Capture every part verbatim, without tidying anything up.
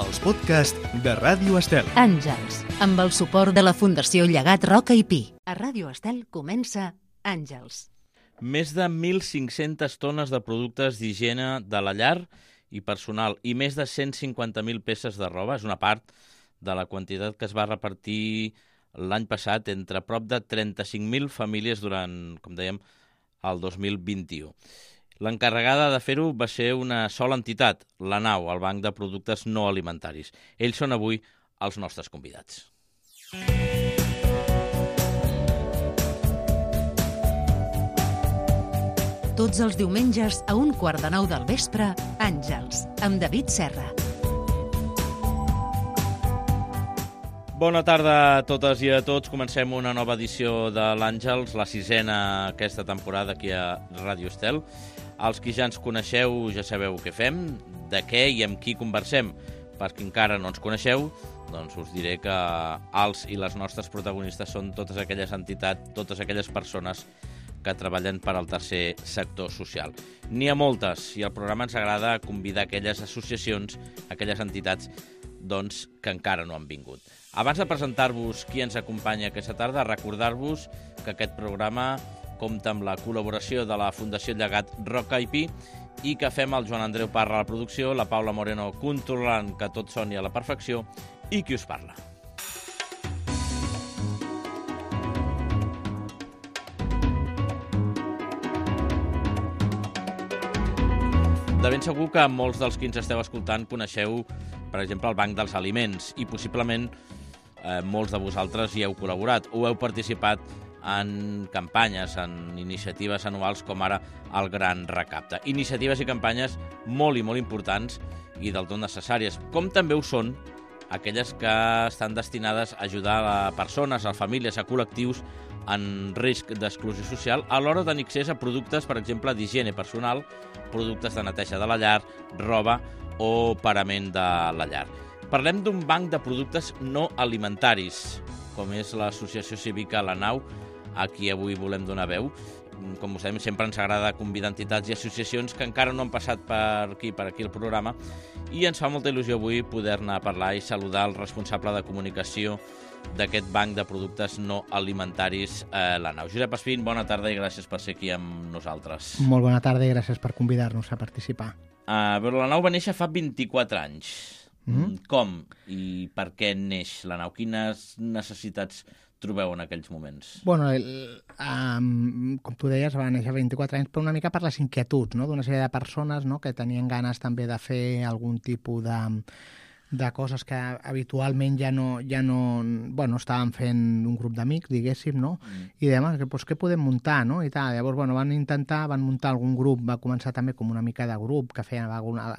els podcasts de Ràdio Estel. Àngels, amb el suport de la Fundació Llegat Roca i Pi. A Ràdio Estel comença Àngels. Més de mil cinc-centes tones de productes d'higiene de la llar i personal i més de cent cinquanta mil peces de roba. És una part de la quantitat que es va repartir l'any passat entre prop de trenta-cinc mil famílies durant, com dèiem, el dos mil vint-i-u. L'encarregada de fer-ho va ser una sola entitat, la Nau, el Banc de Productes No Alimentaris. Ells són avui els nostres convidats. Tots els diumenges a un quart de nou del vespre, Àngels, amb David Serra. Bona tarda a totes i a tots. Comencem una nova edició de l'Àngels, la sisena aquesta temporada aquí a Ràdio Estel. Els qui ja ens coneixeu ja sabeu què fem, de què i amb qui conversem. Per qui encara no ens coneixeu, doncs us diré que els i les nostres protagonistes són totes aquelles entitats, totes aquelles persones que treballen per al tercer sector social. N'hi ha moltes i al programa ens agrada convidar aquelles associacions, aquelles entitats doncs, que encara no han vingut. Abans de presentar-vos qui ens acompanya aquesta tarda, recordar-vos que aquest programa compta amb la col·laboració de la Fundació Llegat Roca i Pi i que fem el Joan Andreu Parra a la producció, la Paula Moreno controlant que tot soni a la perfecció i qui us parla. De ben segur que molts dels qui ens esteu escoltant coneixeu, per exemple, el Banc dels Aliments i possiblement eh, molts de vosaltres hi heu col·laborat o heu participat en campanyes, en iniciatives anuals com ara el Gran Recapte. Iniciatives i campanyes molt i molt importants i del tot necessàries, com també ho són aquelles que estan destinades a ajudar a persones, a famílies, a col·lectius en risc d'exclusió social a l'hora de tenir accés a productes, per exemple, d'higiene personal, productes de neteja de la llar, roba o parament de la llar. Parlem d'un banc de productes no alimentaris, com és l'associació cívica La Nau, a qui avui volem donar veu. Com us sabem, sempre ens agrada convidar entitats i associacions que encara no han passat per aquí, per aquí el programa, i ens fa molta il·lusió avui poder-ne parlar i saludar el responsable de comunicació d'aquest banc de productes no alimentaris, eh, La Nau. Josep Espín, bona tarda i gràcies per ser aquí amb nosaltres. Molt bona tarda i gràcies per convidar-nos a participar. Uh, però La Nau va néixer fa vint-i-quatre anys. Mm-hmm. Com i per què neix La Nau? Quines necessitats trobeu en aquells moments? Bueno, el, um, com tu deies, va néixer vint-i-quatre anys, però una mica per les inquietuds, no?, d'una sèrie de persones, no?, que tenien ganes també de fer algun tipus de... de coses que habitualment ja no, ja no, bueno, estàvem fent un grup d'amics, diguéssim, no? Mm. I dèiem, que, pues, què podem muntar, no? I tal. Llavors, bueno, van intentar, van muntar algun grup, va començar també com una mica de grup, que feien, alguna,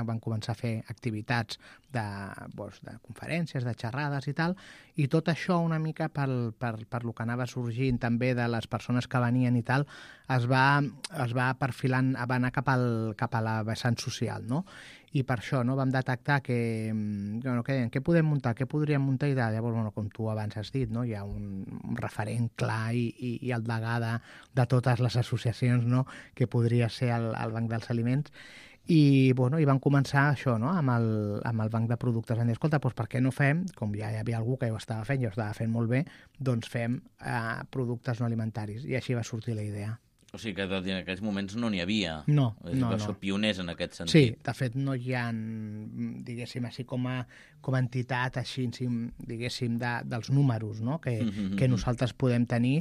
van començar a fer activitats de, pues, de conferències, de xerrades i tal, i tot això una mica per, per, per lo que anava sorgint també de les persones que venien i tal, es va, es va perfilant, va anar cap, al, cap a la vessant social, no? I per això no vam detectar que, bueno, que què podem muntar, què podríem muntar i tal. Llavors, bueno, com tu abans has dit, no? Hi ha un, un referent clar i, i, i el degà de, de totes les associacions, no?, que podria ser el, el Banc dels Aliments. I, bueno, i van començar això, no?, amb el, amb el Banc de Productes. Van dir, escolta, doncs per què no fem, com ja hi havia algú que ho estava fent i ho estava fent molt bé, doncs fem eh, productes no alimentaris. I així va sortir la idea. O sigui que en aquells moments no n'hi havia. No, és no, que no. Són pioners en aquest sentit. Sí, de fet no hi ha, diguéssim, així com a, com a entitat, així, diguéssim, de, dels números, no?, que, mm-hmm. que nosaltres podem tenir,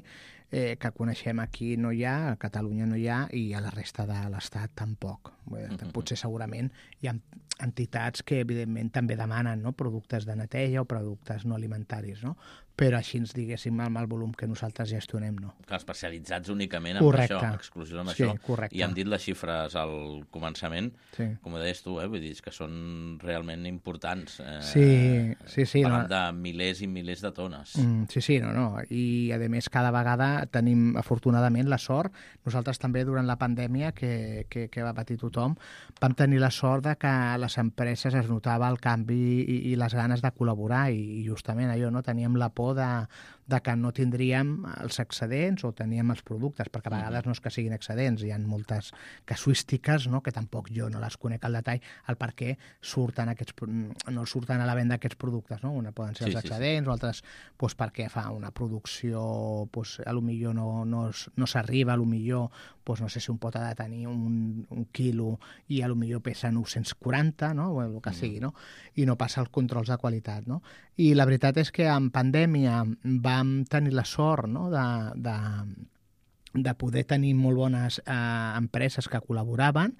eh, que coneixem aquí no hi ha, a Catalunya no hi ha i a la resta de l'Estat tampoc. Mm-hmm. Potser segurament hi ha entitats que evidentment també demanen, no?, productes de neteja o productes no alimentaris, no?, però així ens diguéssim amb el volum que nosaltres gestionem, no. Que especialitzats únicament en correcte. Això, exclusió en sí, això. Correcte. I hem dit les xifres al començament, sí. Com ho deies tu, eh? Vull dir que són realment importants. Eh? Sí, sí, sí. Parlant no. de milers i milers de tones. Mm, sí, sí, no, no. I, a més, cada vegada tenim, afortunadament, la sort. Nosaltres també, durant la pandèmia, que, que, que va patir tothom, vam tenir la sort de que a les empreses es notava el canvi i, i les ganes de col·laborar i, i justament allò, no? Teníem la por de, de que no tindríem els excedents o teníem els productes, perquè a vegades no és que siguin excedents, hi ha moltes casuístiques, no?, que tampoc jo no les conec al detall, el per què surten aquests, no surten a la venda aquests productes, no? Una poden ser els Sí, sí, sí. excedents, o altres doncs, perquè fa una producció, doncs, a lo millor no, no, es- no s'arriba, a lo millor, doncs, no sé si un pot ha de tenir un, un quilo i a lo millor pesa nou-cents quaranta, no?, o el que sigui, no?, i no passa els controls de qualitat, no? I la veritat és que en pandèmia vam tenir la sort, no?, de, de, de poder tenir molt bones eh, empreses que col·laboraven,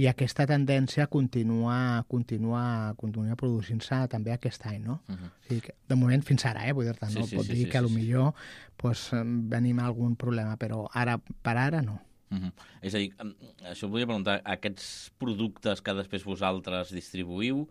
i aquesta tendència continua, continua, continua produint-se també aquest any, no? Uh -huh. O sigui que, de moment fins ara, eh? Vull dir-te, no Sí, sí, pot sí, dir sí, que sí, a lo sí. millor pues, venim a algun problema, però ara per ara no. Uh -huh. És a dir, em, això volia preguntar, aquests productes que després vosaltres distribuïu,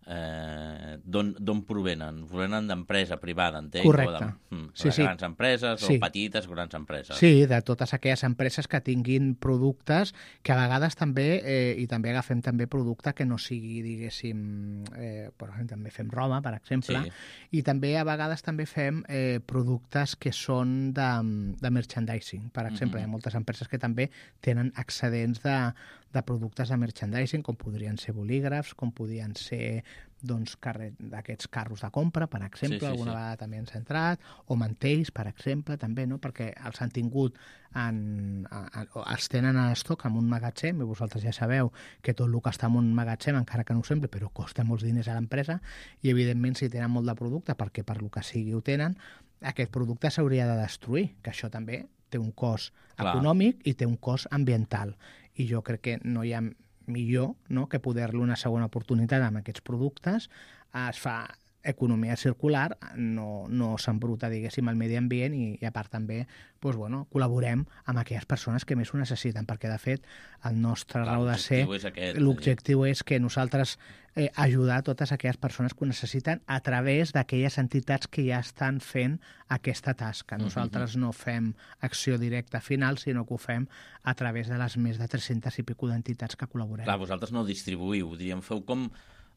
eh, d'on d'on provenen? Provenen d'empresa privada, entenc? Correcte. O de, mm, Sí, de sí. grans empreses Sí. o petites grans empreses? Sí, de totes aquelles empreses que tinguin productes que a vegades també, eh, i també agafem també producte que no sigui, diguéssim, eh, per exemple, també fem roba, per exemple, Sí. i també a vegades també fem eh, productes que són de, de merchandising. Per exemple, Mhm. hi ha moltes empreses que també tenen excedents de, de productes de merchandising, com podrien ser bolígrafs, com podrien ser doncs, carre- d'aquests carros de compra, per exemple, Sí, sí, alguna sí. vegada també ens ha entrat, o mantells, per exemple, també, no?, perquè els han tingut, en, a, a, o els tenen a estoc en un magatzem, i vosaltres ja sabeu que tot el que està en un magatzem, encara que no ho sembli, però costa molts diners a l'empresa, i evidentment si tenen molt de producte, perquè per lo que sigui ho tenen, aquest producte s'hauria de destruir, que això també té un cost Clar. econòmic i té un cost ambiental, i jo crec que no hi ha millor, no?, que poder-li una segona oportunitat amb aquests productes. Es fa economia circular, no, no s'embruta, diguéssim, el medi ambient, i, i a part també doncs, bueno, col·laborem amb aquelles persones que més ho necessiten, perquè de fet el nostre Clar, raó de ser, l'objectiu és aquest, l'objectiu és que nosaltres eh, ajudar totes aquelles persones que ho necessiten a través d'aquelles entitats que ja estan fent aquesta tasca. Nosaltres no fem acció directa final, sinó que ho fem a través de les més de tres-centes i pico d'entitats que col·laborem. Clar, vosaltres no distribuïu, diríem, feu com...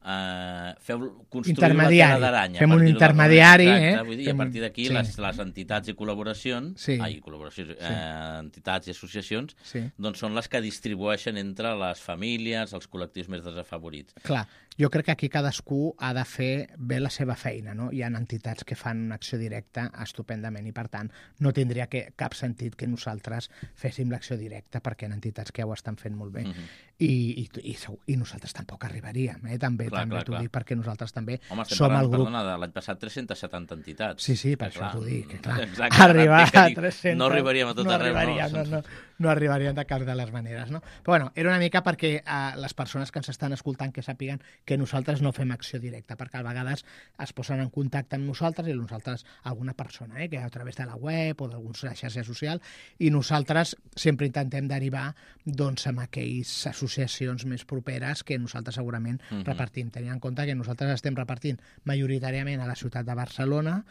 Uh, feu construir Intermediari. la tela d'aranya. Fem per un dir-ho d'alguna intermediari, manera. eh? Exacte, vull dir, Fem a un- partir d'aquí sí. les, les entitats i col·laboracions, Sí. ai, col·laboracions, eh, entitats i associacions, Sí. doncs són les que distribueixen entre les famílies, els col·lectius més desafavorits. Clar, jo crec que aquí cadascú ha de fer bé la seva feina, no? Hi ha entitats que fan una acció directa estupendament i, per tant, no tindria que, cap sentit que nosaltres féssim l'acció directa, perquè hi ha entitats que ja ho estan fent molt bé. Mhm. I, i, i, segur- i nosaltres tampoc arribaríem, eh? També, Clar, també clar, t'ho clar. dic, perquè nosaltres també Home, estem som parlant, el grup... perdona, de l'any passat tres-cents setanta entitats. Sí, sí, per Que, això t'ho dic, que clar, Exacte, arribar ara a dic, tres-centes... No arribaríem a tot no arreu, arribaríem, no? no, no, no arribaríem de cap de les maneres, no? Però bueno, era una mica perquè eh, les persones que ens estan escoltant que sàpiguen que nosaltres no fem acció directa, perquè a vegades es posen en contacte amb nosaltres i nosaltres, alguna persona, eh, que a través de la web o d'alguna xarxa social, i nosaltres sempre intentem derivar doncs, amb aquelles associacions més properes que nosaltres segurament Mhm. repartim. Tenint en compte que nosaltres estem repartint majoritàriament a la ciutat de Barcelona,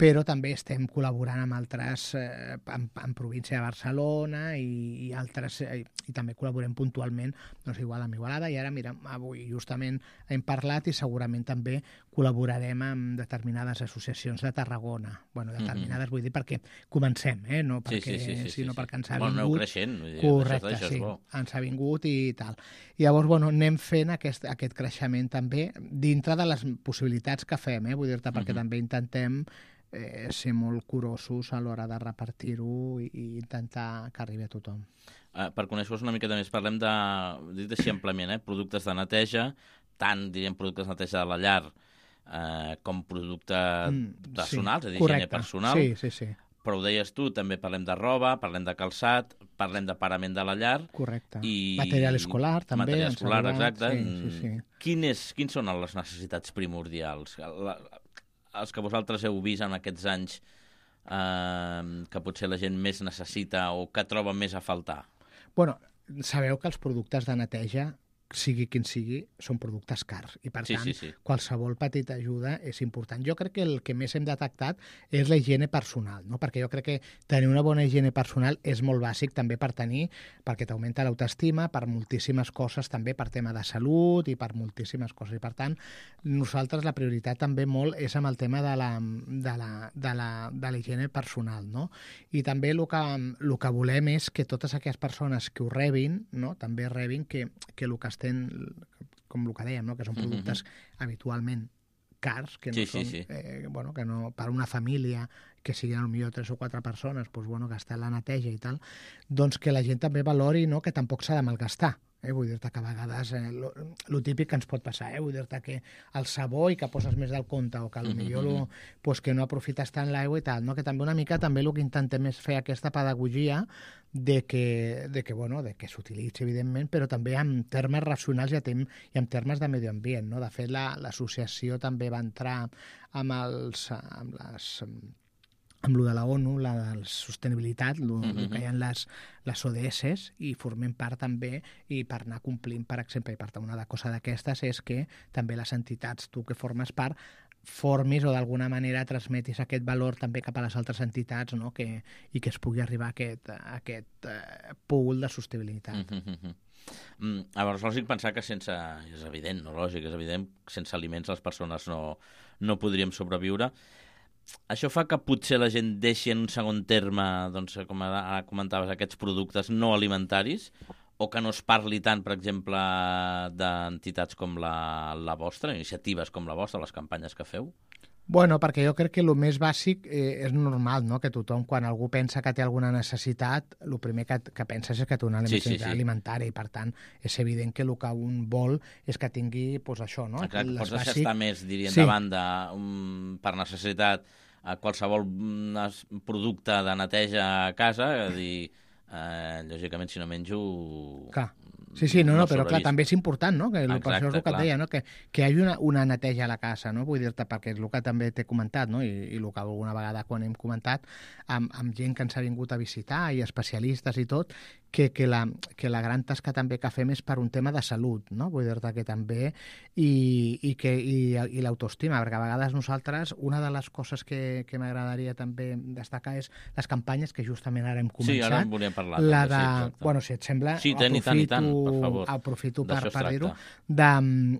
però també estem col·laborant amb altres, eh, en, en província de Barcelona i, i altres, eh, i també col·laborem puntualment, doncs igual amb Igualada, i ara, mira, avui justament hem parlat i segurament també col·laborarem amb determinades associacions de Tarragona. Bueno, determinades, vull dir, perquè comencem, eh? No Sí, perquè, sí, sí, sí, sí, sinó sí. perquè ens ha Bueno, aneu vingut... creixent, vull dir, Correcte, això, això sí, és bo. ens ha vingut i tal. I llavors, bueno, anem fent aquest, aquest creixement també dintre de les possibilitats que fem, eh? Vull dir-te, perquè Mhm. també intentem eh, ser molt curosos a l'hora de repartir-ho i, i intentar que arribi a tothom. Uh, per conèixer-vos una miqueta més, parlem de, dit així amplament, eh? productes de neteja, tant, diríem, productes de neteja de la llar eh, com producte Mm, personal, sí, és a dir, correcte. higiene personal. Sí, sí, sí, Però ho deies tu, també parlem de roba, parlem de calçat, parlem de parament de la llar. correcte. I... Material escolar, també. Material ens ha escolar, arribat. exacte. Sí, sí, sí. Quin és, quins són les necessitats primordials? La, els que vosaltres heu vist en aquests anys eh, que potser la gent més necessita o que troba més a faltar? Bueno, sabeu que els productes de neteja sigui quin sigui, són productes cars. I, per Sí, tant, sí, sí. qualsevol petita ajuda és important. Jo crec que el que més hem detectat és la higiene personal, no? Perquè jo crec que tenir una bona higiene personal és molt bàsic també per tenir, perquè t'augmenta l'autoestima, per moltíssimes coses, també per tema de salut i per moltíssimes coses. I, per tant, nosaltres la prioritat també molt és amb el tema de la, de la, de la, de la higiene personal, no? I també el que, el que volem és que totes aquelles persones que ho rebin, no? També rebin que, que el que estem, com el que dèiem, no? Que són productes mm-hmm. habitualment cars, que no sí, són, sí, sí. Eh, bueno, que no, per una família que siguin potser tres o quatre persones, doncs, bueno, gastar la neteja i tal, doncs que la gent també valori, no? Que tampoc s'ha de malgastar. Eh? Vull dir-te que a vegades eh, lo, lo típic que ens pot passar, eh? Vull dir-te que el sabó i que poses més del compte o que potser lo, pues, que no aprofites tant l'aigua i tal, no? Que també una mica també el que intentem és fer aquesta pedagogia de que, de que, bueno, de que s'utilitzi, evidentment, però també en termes racionals i, tem i en termes de medi ambient. No? De fet, l'associació la, també va entrar amb, els, amb les... amb lo de la ONU, la de sostenibilitat, el mm-hmm. que hi ha les, les O D S, i formem part també, i per anar complint, per exemple, i per tant, una de cosa d'aquestes és que també les entitats, tu que formes part, formis o d'alguna manera transmetis aquest valor també cap a les altres entitats, no? Que, i que es pugui arribar a aquest, a aquest uh, pool de sostenibilitat. Mm-hmm. Mm, llavors, lògic pensar que sense... És evident, no lògic, és evident, sense aliments les persones no, no podríem sobreviure. Això fa que potser la gent deixi en un segon terme, doncs, com ara comentaves, aquests productes no alimentaris, o que no es parli tant, per exemple, d'entitats com la, la vostra, iniciatives com la vostra, les campanyes que feu? Bueno, perquè jo crec que el més bàsic eh, és normal, no? Que tothom, quan algú pensa que té alguna necessitat, el primer que, que penses és que té una necessitat sí, sí, sí. alimentària, i per tant és evident que el que un vol és que tingui pues, això, no? Clar, que pots deixar estar més, dirien, sí. de banda um, per necessitat a qualsevol producte de neteja a casa, és a dir, eh, lògicament, si no menjo... Clar. Sí, sí, no, no, no però clar, també és important, no? Que, Exacte, per això és el que clar. et deia, no? Que, que hi hagi una, una neteja a la casa, no? Vull dir-te, perquè és el que també t'he comentat, no? I, i el que alguna vegada quan hem comentat amb, amb gent que ens ha vingut a visitar i especialistes i tot, que, que, la, que la gran tasca també que fem és per un tema de salut, no? Vull dir-te que també i, i, que, i, i l'autoestima, perquè a vegades nosaltres, una de les coses que, que m'agradaria també destacar és les campanyes que justament ara hem començat. Sí, ara en volíem parlar. La també, de, sí, bueno, si et sembla, sí, tant, i tant, i tant, per favor. aprofito per, per dir-ho, de,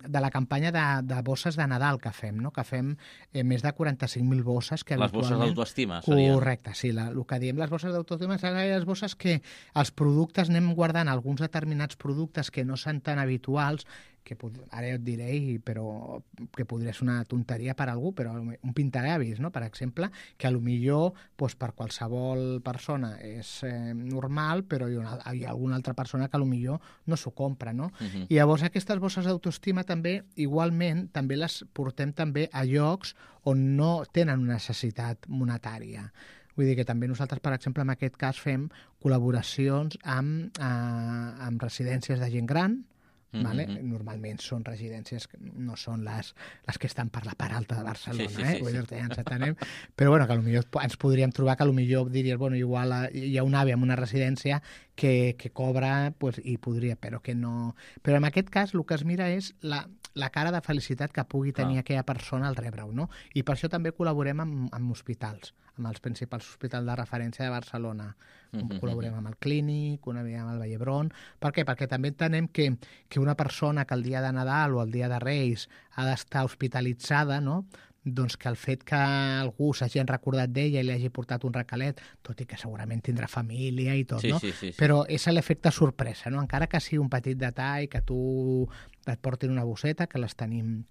de la campanya de, de bosses de Nadal que fem, no? Que fem eh, més de quaranta-cinc mil bosses. Que les bosses d'autoestima serien? Correcte, sí, la, el que diem les bosses d'autoestima són les bosses que els productes anem guardant, alguns determinats productes que no són tan habituals, que ara ja et diré, però que podria ser una tonteria per a algú, però un pintallavis, no? Per exemple, que a lo millor doncs, per qualsevol persona és eh, normal, però hi ha, una, hi ha alguna altra persona que a lo millor no s'ho compra, no? Uh-huh. I llavors aquestes bosses d'autoestima també, igualment, també les portem també a llocs on no tenen una necessitat monetària. Vull dir que també nosaltres, per exemple, en aquest cas fem col·laboracions amb, eh, amb residències de gent gran. Vale? Mm-hmm. Normalment són residències que no són les, les que estan per la part alta de Barcelona, sí, sí, eh? Sí, Vull dir-te, ja ens atenem. Però bueno, que potser ens podríem trobar que potser diries, bueno, igual hi ha un avi en una residència que, que cobra, pues, i podria, però que no... Però en aquest cas el que es mira és la, la cara de felicitat que pugui tenir ah. aquella persona al rebre-ho, no? I per això també col·laborem amb, amb hospitals, amb els principals hospitals de referència de Barcelona. Mm-hmm. Col·laborem amb el Clínic, una vegada amb el Vall d'Hebron. Per què? Perquè també entenem que, que una persona que el dia de Nadal o el dia de Reis ha d'estar hospitalitzada, no? Doncs que el fet que algú s'hagi recordat d'ella i li hagi portat un recalet, tot i que segurament tindrà família i tot, sí, no? Sí, sí, sí. Però és l'efecte sorpresa, no? Encara que sigui un petit detall, que tu et portin una bosseta, que les tenim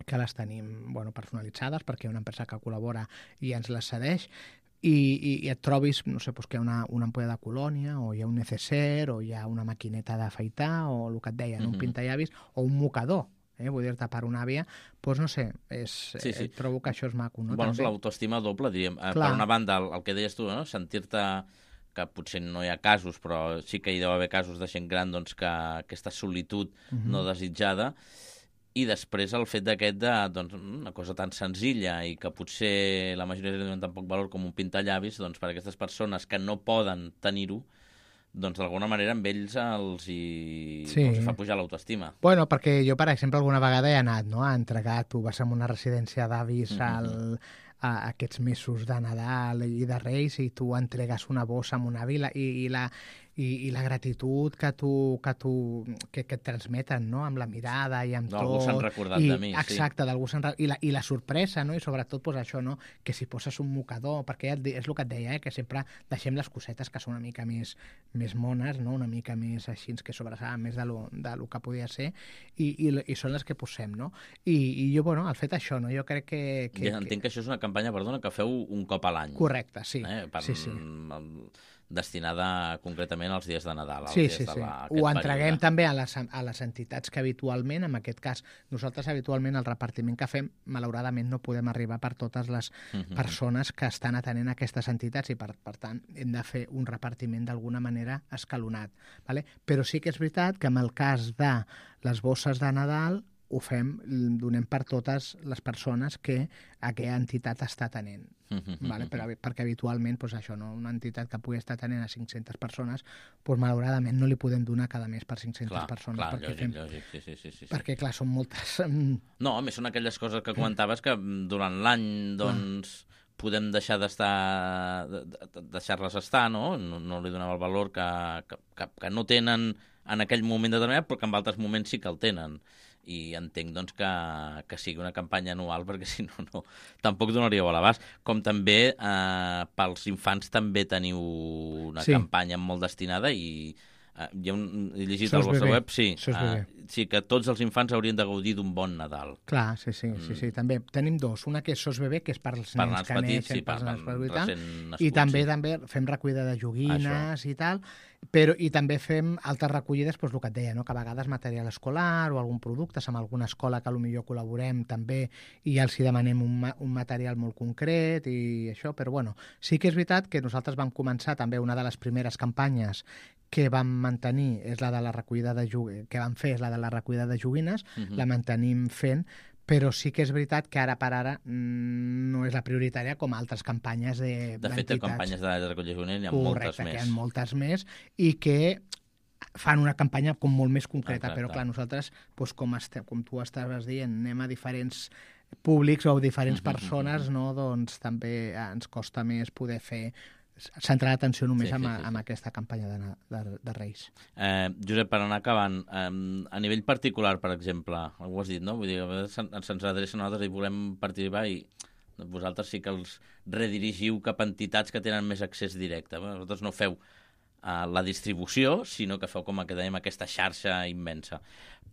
que les tenim bueno, personalitzades, perquè hi ha una empresa que col·labora i ens les cedeix, i, i, i et trobis, no sé, doncs que hi ha una, una ampolla de colònia, o hi ha un neceser, o hi ha una maquineta d'afaitar, o el que et deia, uh-huh. un pintallavis, o un mocador, eh? Vull dir-te, per una àvia, doncs no sé, és, sí, sí. trobo que això és maco, no? Bueno, és l'autoestima doble, diríem. Clar. Per una banda, el, el que deies tu, no? Sentir-te que potser no hi ha casos, però sí que hi deu haver casos de gent gran, doncs, que aquesta solitud uh-huh. no desitjada. I després el fet d'aquest de doncs, una cosa tan senzilla i que potser la majoria no donen tan poc valor com un pintallavis, doncs per a aquestes persones que no poden tenir-ho, doncs d'alguna manera amb ells els hi, Sí. els fa pujar l'autoestima. Bueno, perquè jo, per exemple, alguna vegada he anat, no?, a entregar, tu vas a una residència d'avis al, a aquests mesos de Nadal i de Reis i tu entregues una bossa amb una vila i, i la... I, i la gratitud que tu, que, tu, que, que et transmeten, no?, amb la mirada i amb D'algú tot. s'han recordat I, de mi, sí. Exacte, d'algú s'han... I la, I la sorpresa, no?, i sobretot pues, això, no?, que si poses un mocador, perquè ja et di- és el que et deia, eh?, que sempre deixem les cosetes que són una mica més, més mones, no?, una mica més així, que sobresalen més de lo, de lo que podia ser, i, i, i són les que posem, no? I, i jo, bueno, el fet això, no?, jo crec que... que, Ja entenc que això és una campanya, perdona, que feu un cop a l'any. Correcte, sí. Eh? Per, sí, sí. destinada concretament als dies de Nadal. Als Sí, dies sí, de sí. la, Ho aquest entreguem període. també a les, a les entitats que habitualment, en aquest cas, nosaltres habitualment el repartiment que fem, malauradament no podem arribar per totes les Mhm. persones que estan atenent aquestes entitats i per, per tant hem de fer un repartiment d'alguna manera escalonat. Vale? Però sí que és veritat que en el cas de les bosses de Nadal ho fem, donem per totes les persones que aquella entitat està atenent. Mhm. Vale? Per, perquè habitualment pues, això, no? Una entitat que pugui estar atenent a cinc-centes persones, pues, malauradament no li podem donar cada mes per cinc-centes Clar, persones. clar, perquè, lògic, fem, lògic, sí, sí, sí, sí. perquè clar, són moltes... mm, No, a més són aquelles coses que comentaves que mm, durant l'any, doncs, podem deixar d'estar, de- de- deixar-les estar, no? No, no li donava el valor que, que, que, que no tenen en aquell moment determinat, però que en altres moments sí que el tenen. I entenc doncs, que, que sigui una campanya anual, perquè si no, no tampoc donaríeu a l'abast. Com també eh, pels infants també teniu una Sí. campanya molt destinada i eh, hi ha un, he llegit Sos al vostre bebè. web, sí, Sos eh, bebè. sí, que tots els infants haurien de gaudir d'un bon Nadal. Clar, sí, sí, sí, sí, també. Tenim dos. Una que és Sos Bebè, que és per als Per nens nans que petits, neixen, sí, per pels nens per petits i tal. recent nascuts. I també sí. també fem recollida de joguines i tal, però i també fem altres recollides, doncs el que et deia, no? Que a vegades material escolar o algun producte, amb alguna escola que potser col·laborem també i els hi demanem un, ma un material molt concret i això, però bueno, sí que és veritat que nosaltres vam començar també una de les primeres campanyes que vam mantenir és la de la recollida de joguines, que vam fer és la de la recollida de joguines, Mhm. la mantenim fent, però sí que és veritat que ara per ara mm, no és la prioritària com altres campanyes de De fet, de campanyes de recollir juvenil n'hi ha Correcte, moltes que més. hi ha moltes més i que fan una campanya com molt més concreta, Exacte. però clar, nosaltres, doncs, com, este, com tu estaves dient, anem a diferents públics o diferents Mhm, persones, no? Doncs també eh, ens costa més poder fer centrar l'atenció només Sí, sí, en, sí, sí. en aquesta campanya de, de, de Reis. Eh, Josep, per anar acabant, eh, a nivell particular, per exemple, ho has dit, no? Vull dir, a vegades se'n- se'ns adrecen a nosaltres i volem participar i vosaltres sí que els redirigiu cap a entitats que tenen més accés directe. Bé, vosaltres no feu eh, la distribució, sinó que feu, com que dèiem, aquesta xarxa immensa.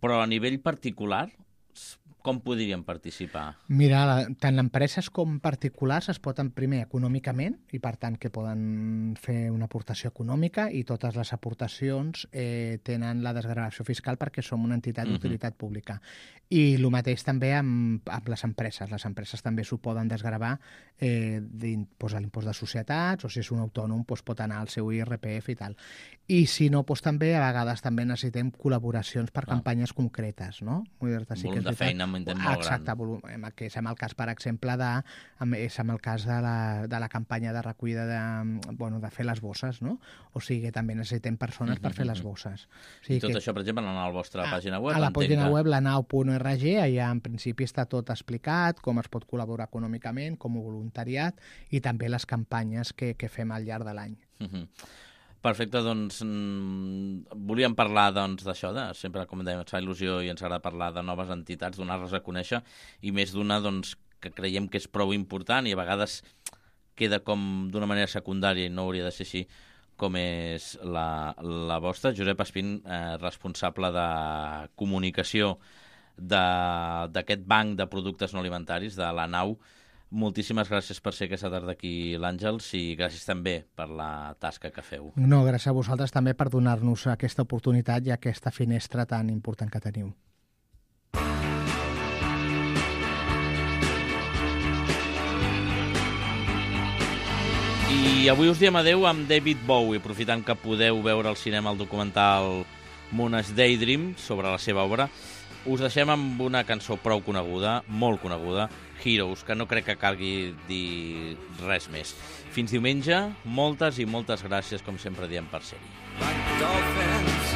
Però a nivell particular, s- com podríem participar? Mira, la, tant empreses com particulars es poden primer econòmicament i per tant que poden fer una aportació econòmica i totes les aportacions eh, tenen la desgravació fiscal perquè som una entitat Mhm. d'utilitat pública. I el mateix també amb, amb les empreses. Les empreses també s'ho poden desgravar eh, doncs, a l'impost de societats o si és un autònom doncs, pot anar al seu I R P F i tal. I si no, doncs, també a vegades també necessitem col·laboracions per Ah. campanyes concretes, no? Vull dir-te, sí que Volum és de veritat. feina amb intent molt Exacte, gran. volum, em- que és amb el cas, per exemple, de, amb- és amb el cas de la, de la campanya de recollida de, bueno, de fer les bosses, no? O sigui, també necessitem persones per fer les bosses. O sigui I tot que, això, per exemple, anar a la vostra pàgina web? a la entenc pàgina que- web, la nau punt org, allà en principi està tot explicat, com es pot col·laborar econòmicament, com a voluntariat, i també les campanyes que, que fem al llarg de l'any. Mhm. Perfecte, doncs mm, volíem parlar doncs, d'això, de, sempre, com dèiem, ens fa il·lusió i ens agrada parlar de noves entitats, donar-les a conèixer, i més d'una doncs, que creiem que és prou important i a vegades queda com d'una manera secundària i no hauria de ser així, com és la, la vostra. Josep Espín, eh, responsable de comunicació de- d'aquest banc de productes no alimentaris, de la nau. Moltíssimes gràcies per ser aquesta tarda aquí l'Àngels i gràcies també per la tasca que feu. No, gràcies a vosaltres també per donar-nos aquesta oportunitat i aquesta finestra tan important que teniu. I avui us diem adeu amb David Bowie, aprofitant que podeu veure al cinema el documental Mona's Daydream sobre la seva obra. Us deixem amb una cançó prou coneguda, molt coneguda, Heroes, que no crec que calgui dir res més. Fins diumenge, moltes i moltes gràcies, com sempre diem, per ser-hi. Like dolphins,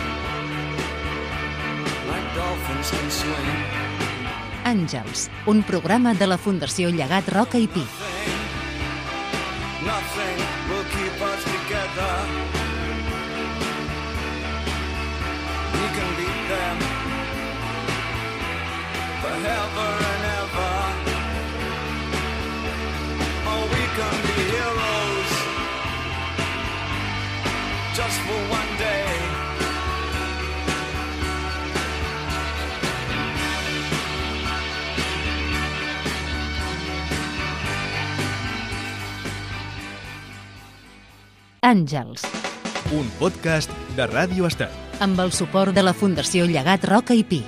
like dolphins can swim. Àngels, un programa de la Fundació Llegat Roca i Pi. Nothing will keep us together. We can beat them forever and ever. Oh, we can be heroes just for one day. Àngels, Un podcast de Ràdio Estel. amb el suport de la Fundació Llegat Roca i Pi.